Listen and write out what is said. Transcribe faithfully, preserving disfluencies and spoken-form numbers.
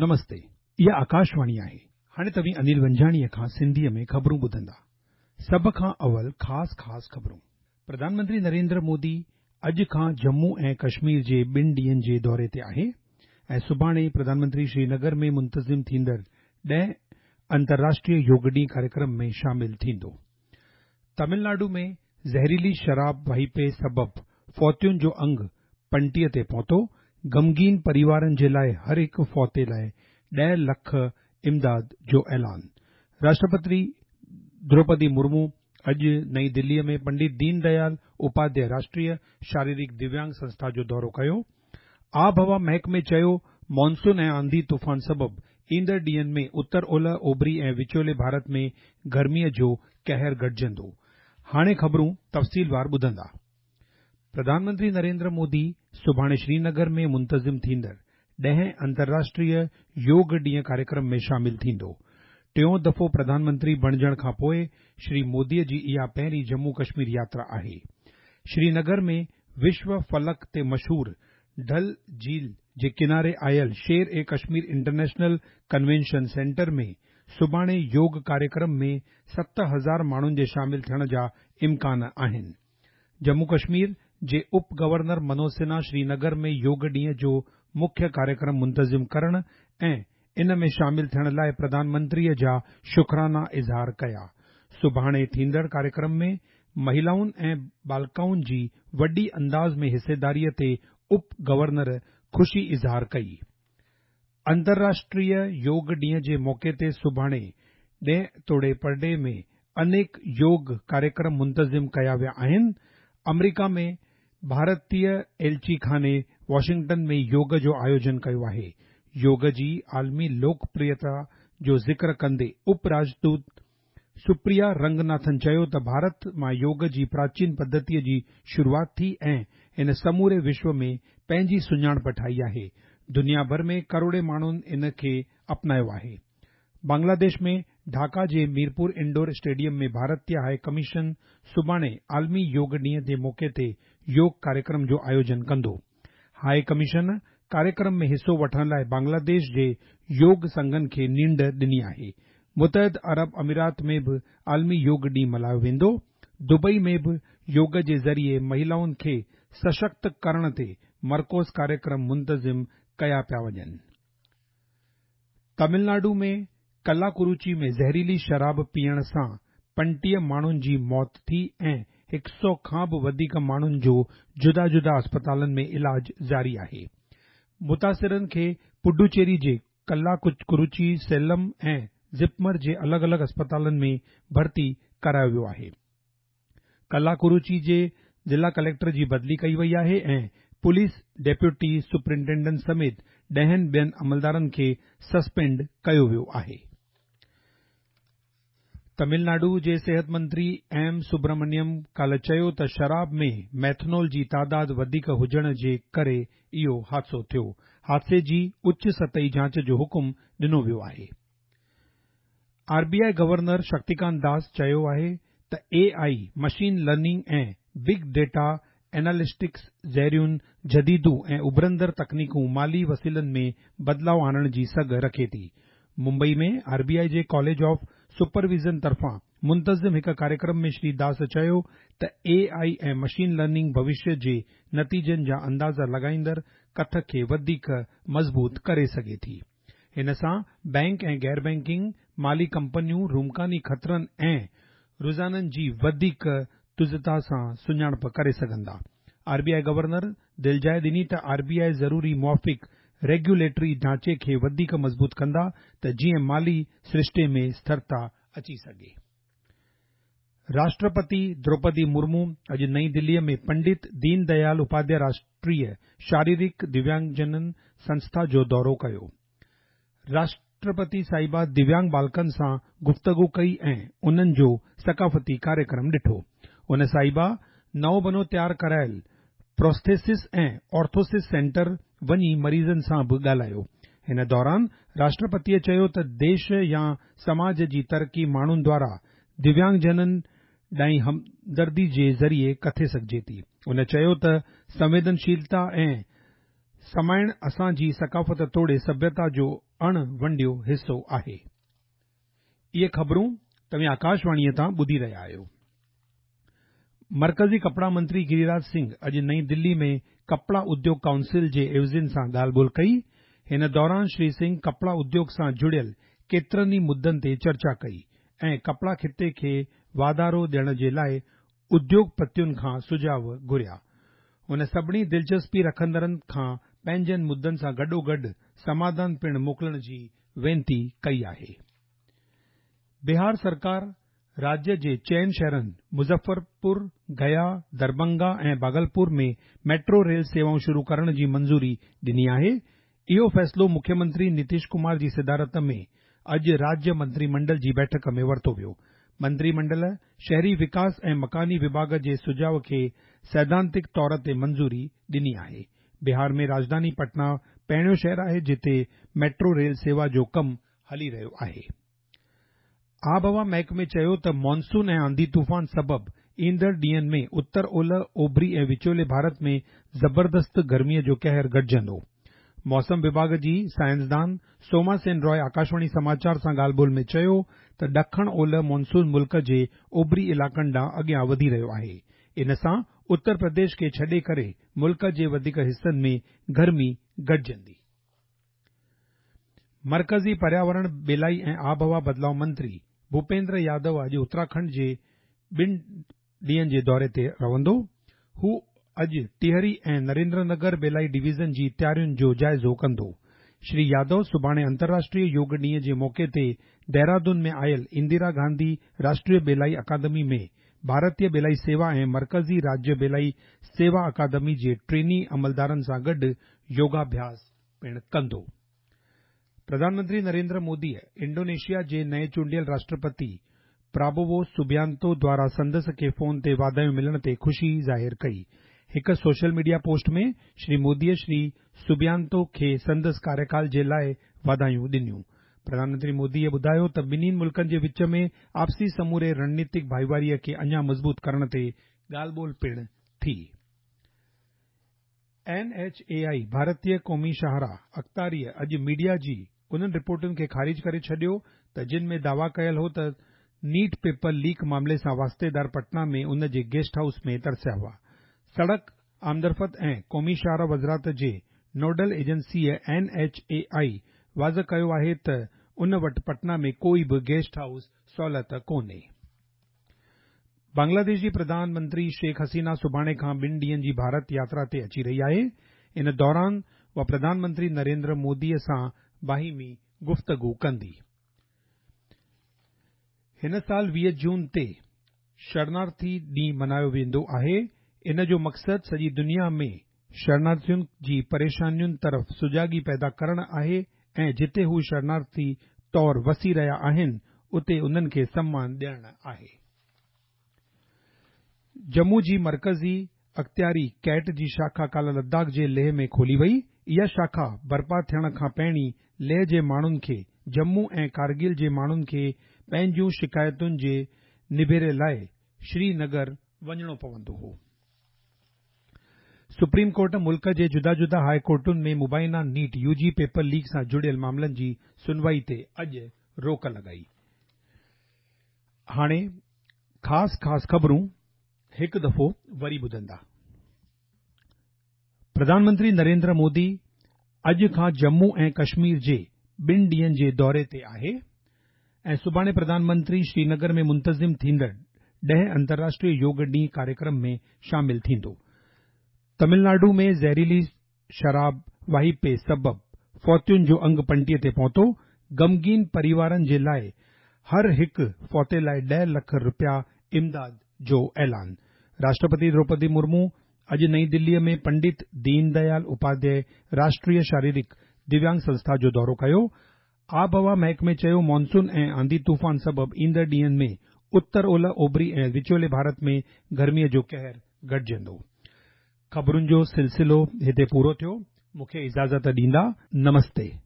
نمستي، اها آڪاشواڻي آهي. هاڻي توهين انيل ونجاڻيء کان سنڌيء ۾ خبرون ٻڌندا. سڀ کان اول خاص خاص خبرون. پرڌان منتري نريندر مودي اڄ کان ڄمون ۽ ڪشمير جي ٻن ڏينهن جي دوري تي آهي ۽ سڀاڻي پرڌان منتري شرينگر ۾ منتظم ٿيندڙ ڏهه انترراشٽريه يوگ ڏينهن ڪاريڪرم ۾ شامل ٿيندو. تامل ناڊو ۾ زهريلي شراب واهپي سبب فوتين جو انگ پنجٽيهه تي پهتو. غمگين پريوارن جي لاءِ هر هڪ فوتي لاءِ ڏهه لک امداد جو اعلان. راشٽرپتي دروپدي مرمو اڄ نئين دليءَ ۾ پنڊت دين ديال اپاڌياءِ راشٽريه شاريرڪ دويانگ سنسٿا جو دورو ڪيو. آبهوا محڪمي چيو مانسون ۽ آنڌي طوفان سبب ايندڙ ڏينهن ۾ اتر اولهه، اوڀري ۽ وچولي ڀارت ۾ گرميءَ جو قهر گهٽجندو. هاڻي خبرون تفصيلوار ٻڌندا. پرڌان منتري نريندر مودي سڀاڻي شرينگر ۾ منتظم ٿيندڙ ڏهين انترراشٽريه يوگ ڏينهن ڪاريڪرم ۾ شامل ٿيندو. ٽيون دفعو پرڌان منتري بڻجڻ کان پوءِ شري موديءَ جي اها پهرين ڄمون ڪشمير ياترا آهي. شرينگر ۾ وشو فلڪ تي مشهور ڊل جهيل جي ڪناري آيل شير اي ڪشمير انٽرنيشنل ڪنوينشن سينٽر ۾ سڀاڻي يوگ ڪاريڪرم ۾ ست هزار ماڻهن جي شامل ٿيڻ جا امڪان آهن. ڄمون ڪشمير جي اپ گورنر منوج سنها شرينگر ۾ يوگ ڏينهن جو مکيه ڪاريڪرم منتظم ڪرڻ ۽ ان ۾ شامل ٿيڻ لاءِ پرڌان منتريءَ جا شڪرانا اظهار ڪيا. سڀاڻي ٿيندڙ ڪاريڪرم ۾ مهلائن ۽ بالڪائن جي وڏي انداز ۾ حصيداريءَ تي اپ گورنر خوشي اظهار ڪئي. انترراشٽريه يوگ ڏينهن جي موقعي تي سڀاڻي ڏيهه توڙي پرڏيهه ۾ انيڪ يوگ ڪاريڪرم منتظم ڪيا ويا آهن. آمريڪا ۾ ڀارتيه ايلچي خاني واشنگٽن ۾ يوگ جو آيوجن ڪيو آهي. يوگ جي عالمي لوڪپريتا جو ذڪر ڪندي اپ راجدوت سپريا رنگناٿن چيو ته ڀارت مان يوگ جي پراچين پڌتيءَ جي شروعات ٿي ۽ ان سموري وشو ۾ پنهنجي سڃاڻپ ٺاهي آهي. دنيا ڀر ۾ ڪروڙين ماڻهن ان کي اپنايو آهي. بنگلاديش ۾ ڍاڪا جي ميرپور انڊور اسٽيڊيم ۾ ڀارتيه هاءِ ڪميشن سڀاڻي عالمي يوگ ڏينهن جي موقعي تي يوگ ڪاريڪرم جو آيوجن ڪندو. هاءِ ڪميشن ڪاريڪرم ۾ حصو وٺڻ لاءِ بنگلاديش جي يوگ سنگهن کي نينڍ ڏني آهي. متحده عرب امارات ۾ به عالمي يوگ ڏينهن ملهايو ويندو. دبئي ۾ به يوگ جي ذريعي مهلائن کي سشڪت ڪرڻ تي مرڪوز ڪاريڪرم منتظم ڪيا پيا وڃن. تامل ناڊو ۾ ڪلاڪروچي ۾ زهريلي شراب پيئڻ سان پنجٽيهه ماڻهن جي موت ٿي ۽ هڪ سؤ کان به وڌيڪ ماڻهن جو جدا جدا اسپتالن ۾ علاج جاري آهي. متاثرن کي پڊوچيري جي ڪلاڪروچي، سيلم ۽ زپمر جي الڳ الڳ اسپتالن ۾ ڀرتي ڪرايو ويو آهي. ڪلاڪروچي جي ضلع ڪليڪٽر جي بدلي ڪئي وئي آهي ۽ پوليس ڊپٽي سپرنٽينڊنٽ سميت ڏهن ٻين عملدارن کي سسپينڊ ڪيو ويو آهي. تامل ناڊو جي صحت منتري ايم سبرامنيم ڪالهه چيو ته شراب ۾ ميٿنول جي تعداد وڌيڪ هجڻ جي ڪري اهو حادثو ٿيو. حادثي جي اچ سطحي جاچ جو حڪم ڏنو ويو آهي. R B I governor Shaktikanta Das چيو آهي ته اي آئي، مشين لرننگ ۽ بگ ڊيٽا اينالسٽڪس جهڙيون جديد ۽ اڀرندڙ تڪنيڪون مالي وسيلن ۾ بدلاءُ آڻڻ جي سگهه رکي ٿي. ممبئي ۾ آر بي آئي جي ڪاليج آف سپرويزن طرفان منتظم هڪ ڪاريڪرم ۾ شري داس چيو ته اي آئي ۽ مشين لرننگ ڀوشيه جي نتيجن جا اندازا لڳائيندڙ ڪٿ کي وڌيڪ مضبوط ڪري سگهي ٿي. هن سان بينڪ ۽ غير بينڪنگ مالي ڪمپنيون رمڪاني خطرن ۽ رجحانن جي وڌيڪ تيزتا سان سڃاڻپ ڪري سگهندا. آر بي I governor دلجاءِ ڏني ته آر بي آئي ضروري موافق ريگيوليٽري ڍانچي کي وڌيڪ مضبوط ڪندا ته جيئن مالي سرشتي ۾ اسٿرتا اچي سگهي. راشٽرپتي دروپدي مرمو اڄ نئين دليءَ ۾ پنڊت دين ديال اپاڌياءِ راشٽريه شاريرڪ دويانگجنن سنسٿا جو دورو ڪيو. راشٽرپتي صاحبه دويانگ بالڪن سان گفتگو ڪئي ۽ انهن جو ثقافتي ڪاريڪرم ڏٺو. ان صاحبه نئون بنو تيار ڪرايل پروسٿيسس ۽ آرٿوسس سينٽر وڃي مريضن سان به ڳالهايو. هن دوران راشٽرپتيءَ چيو ته ديش يا سماج جي ترقي ماڻهن دوارا دويانگجنن ڏانهن همدردي جي ذريعي ڪٿي سگهجي ٿي. ان چيو ته سنويدنشيلتا ۽ سمائڻ اسان جي ثقافت توڙي سڀيتا جو اڻ ونڊيو حصو آهي. اهي خبرون توهين آڪاشواڻيء تان ٻڌي رهيا آهيو. مرڪزي ڪپڙا منتري گريراج سنگهه اڄ نئين دلي ۾ ڪپڙا اديوگ ڪائونسل جي عيوضين سان ڳالهه ٻولهه ڪئي. هن دوران شري سنگهه ڪپڙا اديوگ سان جڙيل ڪيترن ئي مدن تي چرچا ڪئي ۽ ڪپڙا خطي کي واڌارو ڏيڻ جي لاءِ اديوگپتين کان سجهاءُ گهريا. هن سڀني دلچسپي رکندڙن کان پنهنجن مدن سان گڏوگڏ سماڌان پڻ موڪلڻ جي وينتي ڪئي آهي. بهار سرڪار راجيه جي چئن شهرن مظفرپور، گيا، دربنگا ۽ ڀاگلپور ۾ ميٽرو ريل سيوائون شروع ڪرڻ جي منظوري ڏني آهي. اهو فيصلو مکيه منتري نتيش ڪمار جي صدارت ۾ اڄ راجيه منتري منڊل جي بيٺڪ ۾ ورتو ويو. منتري منڊل شهري وڪاس ۽ مڪاني وڀاڳ جي سجهاءُ کي سيڌانتڪ طور تي منظوري ڏني آهي. بهار ۾ راڄڌاني پٽنا پهريون شهر آهي جتي ميٽرو ريل سيوا جو ڪم هلي رهيو آهي. آبهوا محڪمي چيو ته مانسون ۽ آنڌي طوفان سبب ايندڙ ڏينهن ۾ اتر اولهه، اوڀري ۽ وچولي ڀارت ۾ زبردست گرميء جو قهر گهٽجندو. موسم وڀاڳ جي سائنسدان سوما سين راءِ آڪاشواڻي سماچار سان ڳالهه ٻولهه ۾ چيو ته ڏکڻ اولهه مانسون ملڪ جي اوڀري علائقن ڏانهن اڳيان وڌي رهيو آهي. ان سان اتر پرديش کي ڇڏي ڪري ملڪ جي وڌيڪ حصن ۾ گرمي گهٽجندي. مرڪزي پرياورڻ، ٻيلائي ۽ آبهوا بدلاءُ منتري ڀوپيندر يادو اڄ اتراکنڊ جي ٻن ڏينهن جي دوري تي رهندو. هو اڄ ٽهري ۽ نريندر نگر ٻيلائي ڊويزن جي تيارين جو جائزو ڪندو. شري يادو سڀاڻي انترراشٽريه يوگ ڏينهن جي موقعي تي دهرادون ۾ آيل اندرا گانڌي راشٽريه ٻيلائي اڪادمي ۾ ڀارتيه ٻيلائي سيوا ۽ مرڪزي راجيه ٻيلائي سيوا اڪادمي جي ٽريني عملدارن سان گڏ يوگاڀياس پڻ ڪندو. پرڌان منتري نريندر موديءَ انڊونيشيا جي نئين چونڊيل راشٽرپتي پرابوو سوبيانتو دواران سندس کي فون تي واڌايون ملڻ تي خوشي ظاهر ڪئي. هڪ سوشل ميڊيا پوسٽ ۾ شري موديءَ شري سوبيانتو کي سندس ڪاريڪال جي لاءِ واڌايون ڏنيون. پرڌان منتري موديءَ ٻڌايو ته ٻنهي ملڪن جي وچ ۾ آپسي سموري رڻنيتڪ ڀائيواريءَ کي اڃا مضبوط ڪرڻ تي ڳالهه ٻولهه پڻ ٿي. اين ايڇ اي آئي ڀارتيه قومي شاهراهه اختياريءَ اڄ ميڊيا جي انهن رپورٽن کي خارج ڪري ڇڏيو ته جن ۾ دعويٰ ڪيل هو ته نيٽ پيپر ليڪ معاملي سان واسطيدار پٽنا ۾ ان جي گيسٽ هائوس ۾ ترسيا هئا. سڙڪ آمدرفت ۽ قومي شاهراهه وزارت جي نوڊل ايجنسيءَ اين ايڇ اي آئي واضح ڪيو آهي ته ان وٽ پٽنا ۾ ڪوئي به گيسٽ هائوس سهولت ڪونهي. بنگلاديش جي پرڌان منتري شيخ حسينه سڀاڻي کان ٻن ڏينهن جي ڀارت ياترا تي اچي رهي آهي. ان دوران اها پرڌان منتري نريندر موديءَ سان باهمي گفتگو ڪندي. هن سال ويهه جون تي شرنارٿي ڏينهن ملهايو ويندو آهي. ان جو مقصد سڄي دنيا ۾ شرنارٿين جي پريشانين طرف سجاڳي پيدا ڪرڻ آهي ۽ جتي هو شرنارٿي طور وسي رهيا آهن اتي انهن کي سمان ڏيڻ آهي. ڄمون جي مرڪزي اختياري ڪيٽ جي شاخا ڪالهه لداخ جي ليهه ۾ کولي وئي. اها شاخا برپا ٿيڻ کان پهرين ليهه جي ماڻهن کي ڄمون ۽ ڪارگل جي ماڻهن کي پنهنجون شڪايتن جي نبيري لاءِ سرينگر وڃڻو پوندو هو. سپريم ڪورٽ ملڪ جي جدا جدا هاءِ ڪورٽن ۾ مبينا نيٽ يو جي پيپر ليڪ سان جڙيل معاملن جي سنوائي تي اڄ روڪ لڳائي. هاڻي خاص خاص خبرون هڪ دفعو وري ٻڌندا. پرڌان منتري نريندر مودي اڄ کان ڄمون ۽ ڪشمير جي ٻن ڏينهن جي دوري تي آهي ۽ سڀاڻي پرڌان منتري سرينگر ۾ منتظم ٿيندڙ ڏهه انترراشٽريه يوگ ڏينهن ڪاريڪرم ۾ شامل ٿيندو. تامل ناڊو ۾ زهريلي شراب واهپي سبب فوتين جو انگ پنجٽيهه تي پهتو. غمگين پريوارن جي لاءِ هر هڪ فوتي لاءِ ڏهه لک رپيا امداد جو اعلان. راشٽرپتي دروپدي مرمو اڄ نئين دليءَ ۾ پنڊت دين ديال اپاڌياءِ راشٽريه شاريرڪ دويانگ سنسٿا جو دورو ڪيو. آبهوا محڪمي چيو مانسون ۽ آنڌي طوفان سبب ايندڙ ڏينهن ۾ اتر اولهه، اوڀري ۽ وچولي ڀارت ۾ گرميءَ جو قهر گهٽجندو. خبرن جو سلسلو هتي پورو ٿيو. مون کي اجازت ڏيندا. نمستي.